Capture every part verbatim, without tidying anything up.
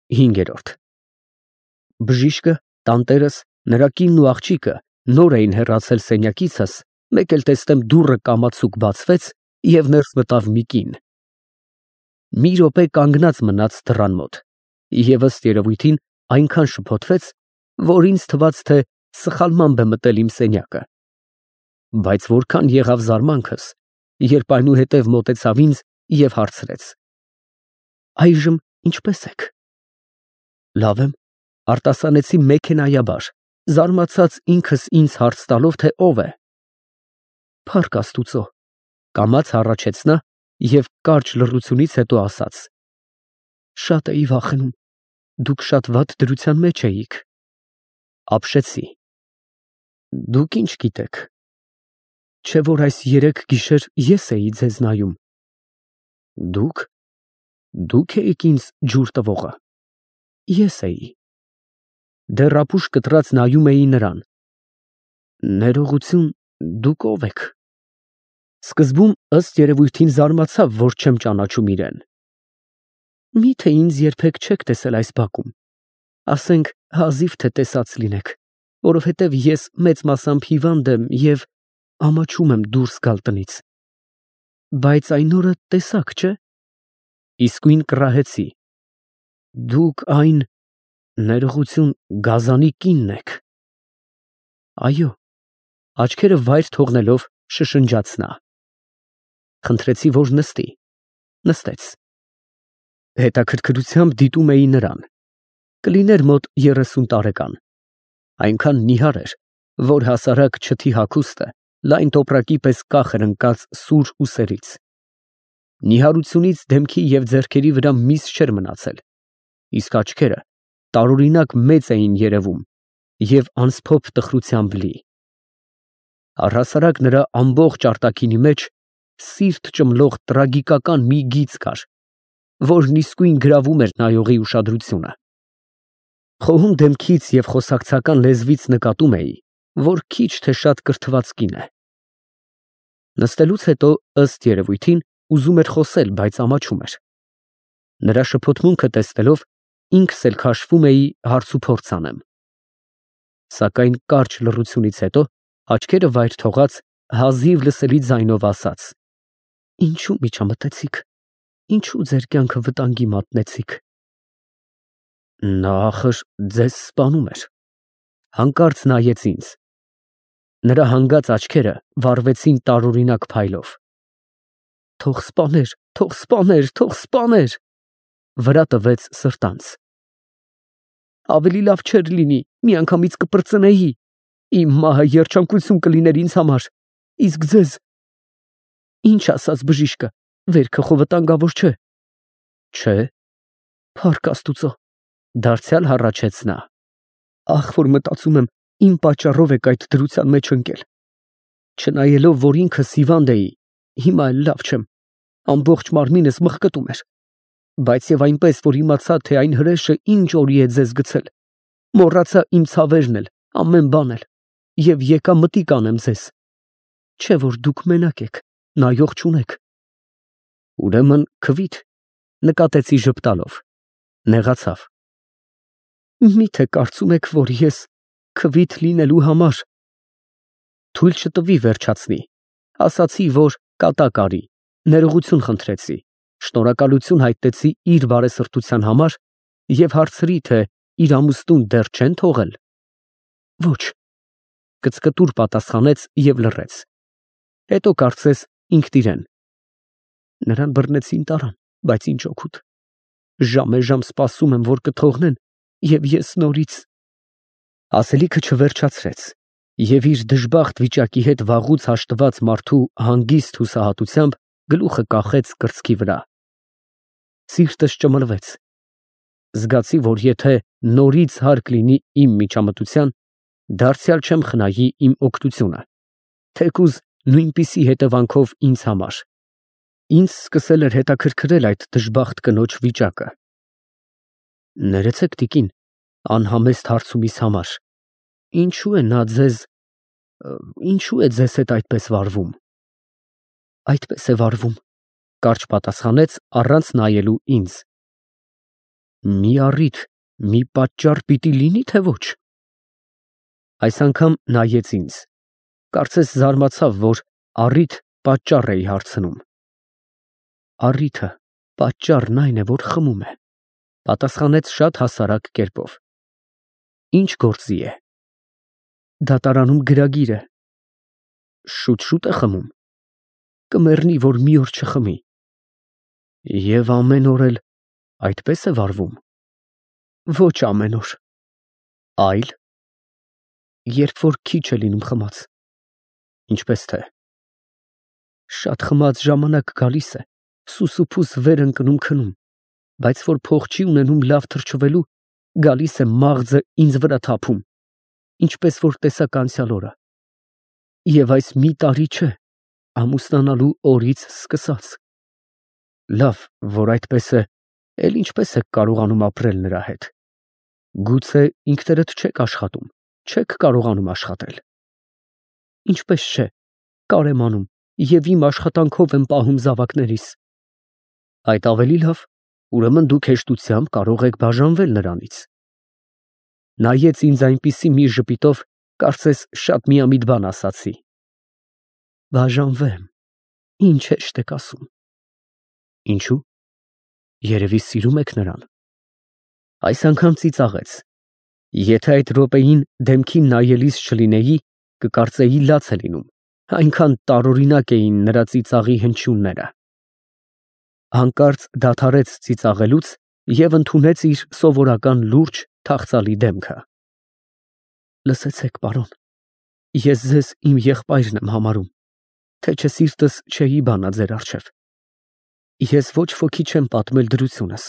Հինգերորդ Բժիշկը, տանտերս, նրա կինն ու աղջիկը նոր էին հեռացել սենյակիցս, մեկ էլ տեսնեմ դուռը կամացուկ բացվեց և ներս մտավ մի կին։ Մի րոպե կանգնած մնաց դռան մոտ և ըստ երևույթին այնքան շփոթվեց, որ ինձ թվաց, թե սխալմամբ է մտել իմ սենյակը, բայց որքան եղավ զարմանքս, երբ այնուհետև մոտեցավ ինձ և հարցրեց. «Այժմ ինչպե՞ս եք»։ «Լավ եմ», արտասանեցի մեքենայաբար, զարմացած ինքս ինձ հարց տալով, թե ով է։ «Փառք Աստուծո», կամաց հառաչեց նա և կարճ լռությունից հետո ասաց. «Շատ էի վախենում, դուք շատ վատ դրության մեջ էիք»։ Ապշեցի. «Դուք ի՞նչ գիտեք, չէ՞ որ այս երեք գիշեր ես էի ձեզ նայում»։ «Դուք, դու՞ք էիք ինձ ջուր տվողը»։ «Ես էի»։ Դեռ ապուշ կտրած նայում էի նրան։ «Ներողություն, դուք ո՞վ եք»։ Սկզբում ըստ երևույթին զարմացավ, որ չեմ ճանաչում իրեն։ «Մի՞թե ինձ երբեք չեք տեսել այս բակում, ասենք հազիվ թե տեսած լինեք, որովհետև ես մեծ մասամբ հիվանդ եմ և ամաչում եմ դուրս գալ տնից։ Բայց այն օրը տեսաք, չէ՞։ Իսկույն կռահեցի։ Դուք այն… ներողություն, Գազանի կինն եք»։ «Այո», աչքերը վայր թողնելով շշնջաց նա։ Խնդրեցի, որ նստի։ Նստեց։ Հետաքրքրությամբ դիտում էի նրան։ Կլիներ մոտ երեսուն տարեկան։ Այնքան նիհար էր, որ հասարակ չթի հագուստը լայն տոպրակի պես կախ էր ընկած սուր ուսերից։ Նիհարությունից դեմքի և ձեռքերի վրա միս չէր մնացել, իսկ աչքերը տարօրինակ մեծ էին երևում և անսփոփ տխրությամբ լի։ Առհասարակ նրա ամբողջ արտաքինի մեջ սիրտ ճմլող տրագիկական մի գիծ կար, որն իսկույն գրավում էր նայողի ուշադրությունը։ Խոհուն դեմքից և խոսակցական լեզվից նկատում էի, որ քիչ թե շատ կրթված կին է։ Նստելուց հետո, ըստ երևույթին, ուզում էր խոսել, բայց ամաչում էր։ Նրա շփոթմունքը տեսնելով, ինքս էլ քաշվում էի հարցուփորձ անեմ։ Սակայն կարճ լռությունից հետո աչքերը վայր թողած, հազիվ լսելի ձայնով ասաց. «Ինչո՞ւ միջամտեցիք, ինչո՞ւ ձեր կյանքը վտանգի մատնեցիք»։ Նա ախր ձեզ սպանում էր։ Հանկարծ նայեց ինձ։ Նրա հանգած աչքերը վառվեցին տարօրինակ փայլով։ «Թող սպաներ, թող սպաներ, թող սպաներ», վրա տվեց սրտանց։ «Ավելի լավ չէր լինի միանգամից կպրծնեի, իմ մահը երջանկություն կլիներ ինձ համար, իսկ ձեզ… Ինչ ասաց բժիշկը, վերքը խո վտանգավոր չէ»։ «Չէ»։ «Փառք Աստուծո», դարձյալ հառաչեց նա։ «Ախ, որ մտածում եմ, իմ պատճառով եք այդ դրության մեջ ընկել։ Չնայելով, որ ինքս հիվանդ էի, հիմա էլ լավ չեմ, ամբողջ մարմինս մղկտում էր, բայց և այնպես, որ իմացա, թե այն հրեշը ինչ օրի է ձեզ գցել, մոռացա իմ ցավերն էլ, ամեն բան էլ, և եկա մտիկ անեմ ձեզ։ Չէ՞ որ դուք մենակ եք, նայող չունեք»։ «Ուրեմն քվի՞դ», նկատեցի ժպտալով։ Նեղացավ։ «Մի՞թե կարծում եք, որ ես քվիթ լինելու համար…» Թույլ չտվի վերջացնի, ասացի, որ կատակ արի, ներողություն խնդրեցի, շնորհակալություն հայտնեցի իր բարեսրտության համար և հարցրի, թե իր ամուսնուն դեռ չե՞ն թողել։ «Ոչ», կծկտուր պատասխանեց և լռեց։ Հետո կարծես ինքնիրեն. «Նրան բռնեցին, տարան, բայց ինչ օգուտ։ Ժամեժամ սպասում եմ, որ կթողնեն, և ես նորից…»։ Ասելիքը չվերջացրեց և իր դժբախտ վիճակի հետ վաղուց հաշտված մարդու հանգիստ հուսահատությամբ գլուխը կախեց կրծքի վրա։ Սիրտս ճմլվեց։ Զգացի, որ եթե նորից հարկ լինի իմ միջամտության, դարձյալ չեմ խնայի իմ օգնությունը, թեկուզ նույնպիսի հետևանքով ինձ համար։ Ինձ սկսել էր հետաքրքրել այդ դժբախտ կնոջ վիճակը։ «Ներեցեք, տիկին, անհամեստ հարցումիս համար, ինչո՞ւ է նա ձեզ… ինչո՞ւ է ձեզ հետ այդպես վարվում»։ «Այդպես է վարվում», կարճ պատասխանեց, առանց նայելու ինձ։ Մի առիթ, մի պատճառ պիտի լինի, թե ոչ։ Այս անգամ նայեց ինձ, կարծես զարմացավ, որ առիթ պատճառ էի հարցնում։ Առիթը, պատճառն այն է, որ խմում է, պատասխանեց շատ հասարակ կերպով։ Ինչ գործի է։ Դատարանում գրագիր է։ Շուտ-շուտ է խմում։ Կմեռնի, որ մի օր չխմի։ Եվ ամեն օր էլ այդպես է վարվում։ Ոչ ամեն օր։ Այլ երբ որ քիչ է լինում խմած։ Ինչպես թե։ Շատ խմած ժամանակ գալիս է, սուսուփուս վեր ընկնում քնում, բայց որ փող չի ունենում լավ թրջվելու, գալիս է մաղձը ինձ վրա թափում, ինչպես որ տեսակ անցյալ օրը։ Եվ այս մի տարի չէ, ամուսնանալու օրից սկսած։ Լավ, որ այդպես է, էլ ինչպես եք կարողանում ապրել նրա հետ։ Գուցե ինքներդ չեք աշխատում, չեք կարողանում աշխատել։ Ինչպես չէ, կարեմ անում և իմ աշխատանքով եմ պահում զավակներիս։ Այդ ավելի լավ, ուրեմն դուք հեշտությամբ կարող եք բաժանվել նրանից։ Նայեց ինձ այնպիսի մի ժպիտով, կարծես շատ միամիտ բան ասացի։ Բաժանվեմ, ինչ հեշտ եք ասում։ Ինչու՞։ Երևի սիրում եք նրան։ Այս անգամ ծիծաղեց։ Եթե այդ րոպեին դեմքին նայելիս չլինեի, կկարծեի լաց է լինում, այնքան տարօրինակ էին նրա ծիծաղի հնչյունները։ Հանկարծ դադարեց ծիծաղելուց և ընդունեց իր սովորական լուրջ, թախծալի դեմքը։ Լսեցեք, պարոն, ես ձեզ իմ եղբայրն եմ համարում, թե չէ սիրտս չէի բանա ձեր առջև։ Ես ոչ ոքի չեմ պատմել դրությունս,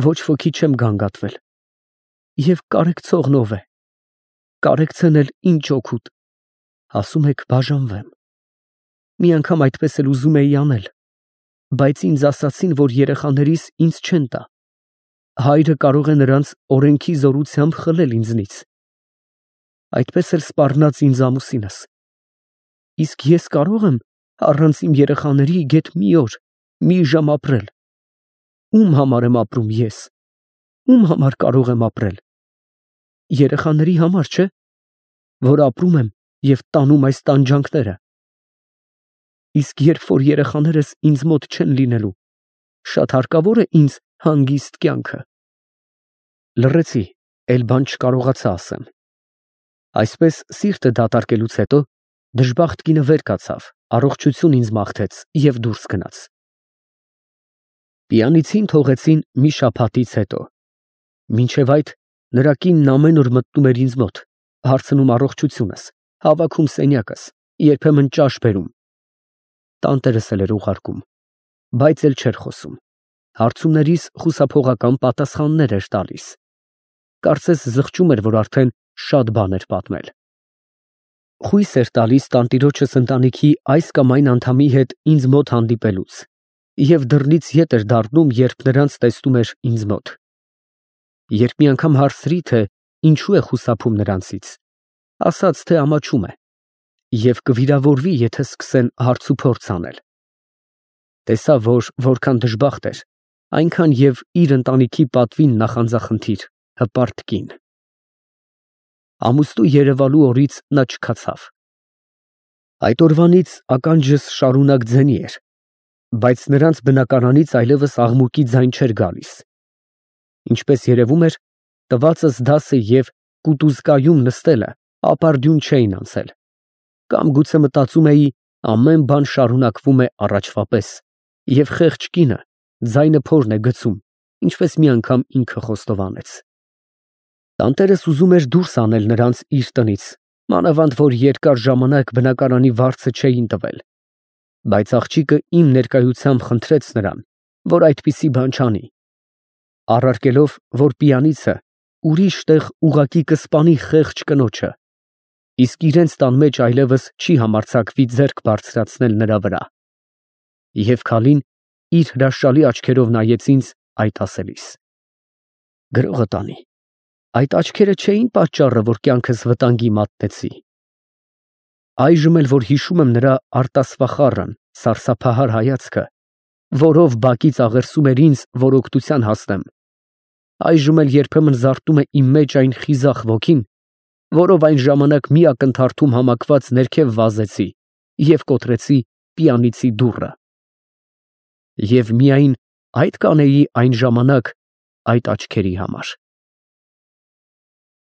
ոչ ոքի չեմ գանգատվել։ Եվ կարեկցողն ով է։ Կարեկցեն էլ ինչ օգուտ։ Ասում եք բաժանվեմ։ Մի անգամ այդպես էլ ուզում էի անել, բայց ինձ ասացին, որ երեխաներիս ինձ չեն տա։ Հայրը կարող է նրանց օրենքի զորությամբ խլել ինձնից։ Այդպես էլ սպառնաց ինձ ամուսինս։ Իսկ ես կարող եմ առանց իմ երեխաների գեթ մի օր, մի ժամ ապրել։ Ում համար եմ ապրում ես։ Ում համար կարող եմ ապրել։ Երեխաների համար չէ, որ ապրում եմ և տանում այս տանջանքները։ Իսկ երբ որ երեխաներս ինձ մոտ չեն լինելու, շատ հարկավոր է ինձ հանգիստ կյանքը։ Լռեցի, էլ բան չկարողացա ասեմ։ Այսպես սիրտը դատարկելուց հետո դժբախտ կինը վեր կացավ, առողջություն ինձ մաղթեց և դուրս գնաց։ Պիանիցին թողեցին մի շաբաթից հետո։ Մինչև այդ նրա կինն ամեն օր մտնում էր ինձ մոտ, հարցնում առողջությունս, հավաքում սենյակս, երբեմն ճաշ բերում։ Տանտերս էլ էր ուղարկում, բայց էլ չէր խոսում։ Հարցումներիս խուսափողական պատասխաններ էր տալիս։ Կարծես զղջում էր, որ արդեն շատ բան էր պատմել։ Խույս էր տալիս տանտիրոջս ընտանիքի այս կամ այն անդամի հետ ինձ մոտ հանդիպելուց և դռնից ետ էր դառնում, երբ նրանց տեսնում էր ինձ մոտ։ Երբ մի անգամ հարցրի, թե ինչու է խուսափում նրանցից, ասաց, թե ամաչում է և կվիրավորվի, եթե սկսեն հարցուփորձ անել։ Տեսա, որ որքան դժբախտ էր, այնքան և իր ընտանիքի պատվին նախանձախնդիր, հպարտ կին։ Ամուսնու երևալու օրից նա չքացավ։ Այդ օրվանից ականջս շարունակ ձենի էր, բայց նրանց բնակարանից այլևս աղմուկի ձայն չէր գալիս։ Ինչպես երևում էր, տվածս դասը և կուտուզկայում նստելը ապարդյուն չէին անցել, կամ գուցե մտածում էի, ամեն բան շարունակվում է առաջվա պես, և խեղճ կինը ձայնը փորն է գցում, ինչպես մի անգամ ինքը խոստովանեց։ Տանտերս ուզում էր դուրս անել նրանց իր տնից, մանավանդ որ երկար ժամանակ բնակարանի վարձը չէին տվել, բայց աղջիկը իմ ներկայությամբ խնդրեց նրան, որ այդպիսի բան չանի, առարկելով, որ պիանիցը ուրիշ տեղ ուղղակի կսպանի խեղճ կնոջը, իսկ իրենց տան մեջ այլևս չի համարձակվի ձեռք բարձրացնել նրա վրա։ Եվ քալին իր հրաշալի աչքերով նայեց ինձ այդ ասելիս։ Գրողը տանի, այդ աչքերը չէին պատճառը, որ կյանքս վտանգի մատնեցի։ Այժմ էլ որ հիշում եմ նրա արտասվախառն, սարսափահար հայացքը, որով բակից աղերսում էր ինձ, որ օգնության հասնեմ, Այժմ էլ երբեմն զարթնում է իմ մեջ այն խիզախ ոգին, որով այն ժամանակ մի ակնթարթում համակված ներքև վազեցի և կոտրեցի պիանիցի դուռը։ Եվ միայն այդ կանեի այն ժամանակ այդ աչքերի համար։